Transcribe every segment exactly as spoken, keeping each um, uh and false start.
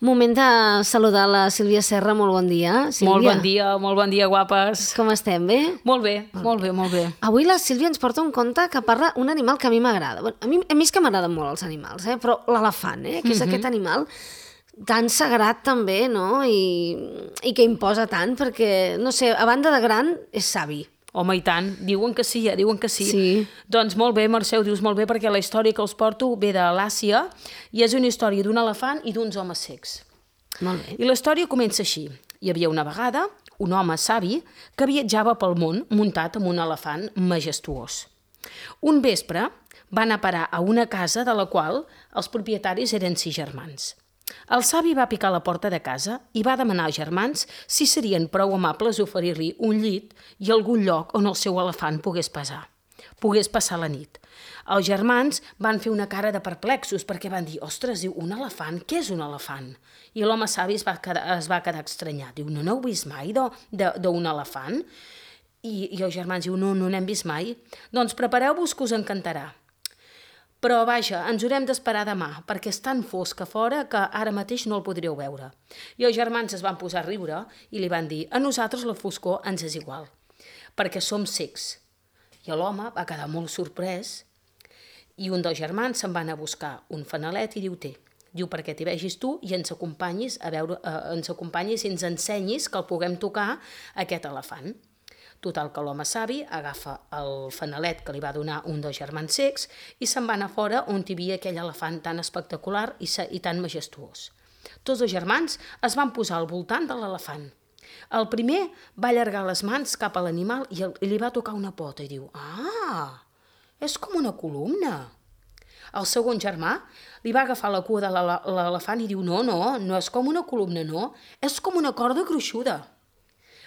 Moment de saludar la Sílvia Serra, molt bon dia. Sílvia. Molt bon dia, molt bon dia, guapes. Com estem, bé? Molt bé, molt bé, molt bé. Avui la Sílvia ens porta un conte que parla un animal que a mi m'agrada. Bueno, a, mi, a mi és que m'agraden molt els animals, eh? Però l'elefant, eh? que és uh-huh. aquest animal tan sagrat també, no? I, i que imposa tant, perquè, no sé, a banda de gran, és savi. Home, i tant. Diuen que sí, eh? Diuen que sí. Sí. Doncs molt bé, Mercè, ho dius molt bé, perquè la història que us porto ve de l'Àsia i és una història d'un elefant i d'uns homes cecs. Molt bé. I la història comença així. Hi havia una vegada un home savi que viatjava pel món muntat amb un elefant majestuós. Un vespre va anar a parar a una casa de la qual els propietaris eren sis germans. El savi va picar a la porta de casa i va demanar als germans si serien prou amables d'oferir-li un llit i algun lloc on el seu elefant pogués passar, pogués passar la nit. Els germans van fer una cara de perplexos perquè van dir, ostres, diu, un elefant? Què és un elefant? I l'home savi es va quedar, es va quedar estranyat. Diu, no n'heu vist mai d'un elefant? I, I els germans diu, no, no n'hem vist mai. Doncs prepareu-vos que us encantarà. Però, vaja, ens haurem d'esperar demà, perquè és tan fosc a fora que ara mateix no el podríeu veure. I els germans es van posar a riure i li van dir, a nosaltres la foscor ens és igual, perquè som cecs. I l'home va quedar molt sorprès i un dels germans se'n va anar a buscar un fanalet i diu, té, diu, perquè t'hi vegis tu i ens acompanyis, a veure, eh, ens acompanyis i ens ensenyis que el puguem tocar aquest elefant. Total, que l'home savi agafa el fanalet que li va donar un dels germans cecs i se'n va anar fora on hi havia aquell elefant tan espectacular i, i tan majestuós. Tots els germans es van posar al voltant de l'elefant. El primer va allargar les mans cap a l'animal i, el, i li va tocar una pota i diu, ah, és com una columna. El segon germà li va agafar la cua de l'elefant i diu, no, no, no és com una columna, no, és com una corda gruixuda.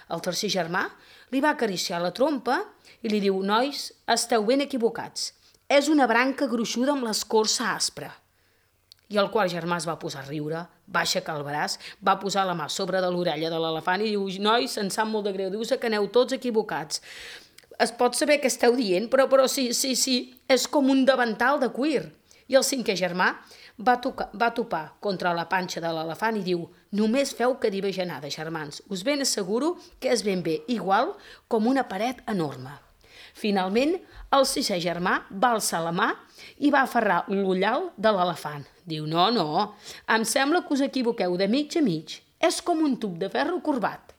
El tercer germà li va acariciar la trompa i li diu, nois, esteu ben equivocats. És una branca gruixuda amb l'escorça aspra. I el quart germà es va posar a riure, va aixecar el braç, va posar la mà sobre de l'orella de l'elefant i diu, nois, em sap molt de greu, dius que aneu tots equivocats. Es pot saber què esteu dient, però, però sí, sí, sí, és com un davantal de cuir. I el cinquè germà va, tocar, va topar contra la panxa de l'elefant i diu, només feu que dir bajanada, germans, us ben asseguro que és ben bé igual com una paret enorme. Finalment, el sisè germà va alçar la mà i va aferrar l'ullal de l'elefant. Diu, no, no, em sembla que us equivoqueu de mig a mig, és com un tub de ferro corbat.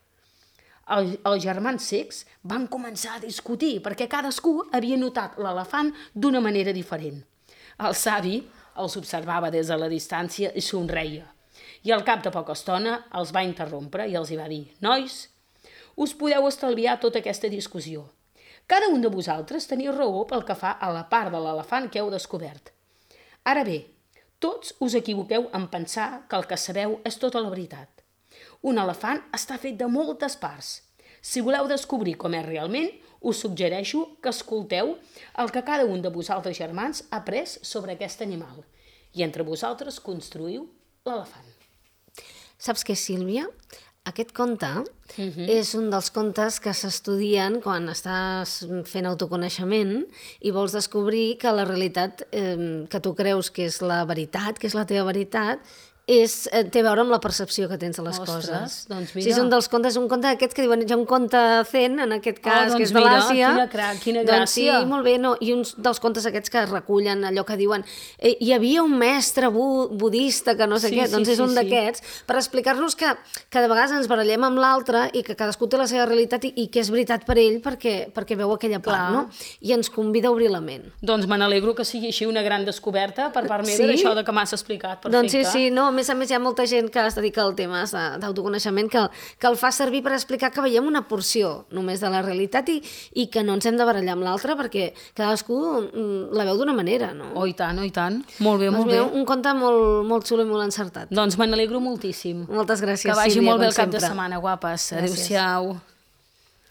El, els germans cecs van començar a discutir perquè cadascú havia notat l'elefant d'una manera diferent. El savi els observava des de la distància i somreia. I al cap de poca estona els va interrompre i els hi va dir, nois, us podeu estalviar tota aquesta discussió. Cada un de vosaltres teniu raó pel que fa a la part de l'elefant que heu descobert. Ara bé, tots us equivoqueu en pensar que el que sabeu és tota la veritat. Un elefant està fet de moltes parts. Si voleu descobrir com és realment, us suggereixo que escolteu el que cada un de vosaltres germans ha après sobre aquest animal i entre vosaltres construïu l'elefant. Saps què, Sílvia? Aquest conte uh-huh. és un dels contes que s'estudien quan estàs fent autoconeixement i vols descobrir que la realitat eh, que tu creus que és la veritat, que és la teva veritat, és, té a veure amb la percepció que tens de les Ostres, coses. Doncs mira. Sí, és un dels contes, un conte d'aquests que diuen, hi ha un conte zen, en aquest cas, oh, doncs que és de mira, l'Àsia. Quina, cra, quina doncs gràcia. sí, molt bé, no? I uns dels contes aquests que recullen allò que diuen eh, hi havia un mestre bu budista que no sé sí, què, sí, doncs és sí, un sí. d'aquests, per explicar-nos que, que de vegades ens barallem amb l'altre i que cadascú té la seva realitat i, i que és veritat per ell perquè, perquè veu aquella part, Clar. no? I ens convida a obrir la ment. Doncs me n'alegro que sigui així una gran descoberta per part meva Sí? d'això de que m'has explicat. Perfecte. Doncs sí, sí, no, a més a més hi ha molta gent que es dedica al tema d'autoconeixement que, que el fa servir per explicar que veiem una porció només de la realitat i, i que no ens hem de barallar amb l'altre perquè cadascú la veu d'una manera, no? Oh, i tant, oh, i tant. Molt bé, doncs molt bé. Un conte molt, molt xulo i molt encertat. Doncs me n'alegro moltíssim. Moltes gràcies, Que vagi Sílvia, molt bé com el cap sempre. de setmana, guapes. Gràcies. Adéu-siau.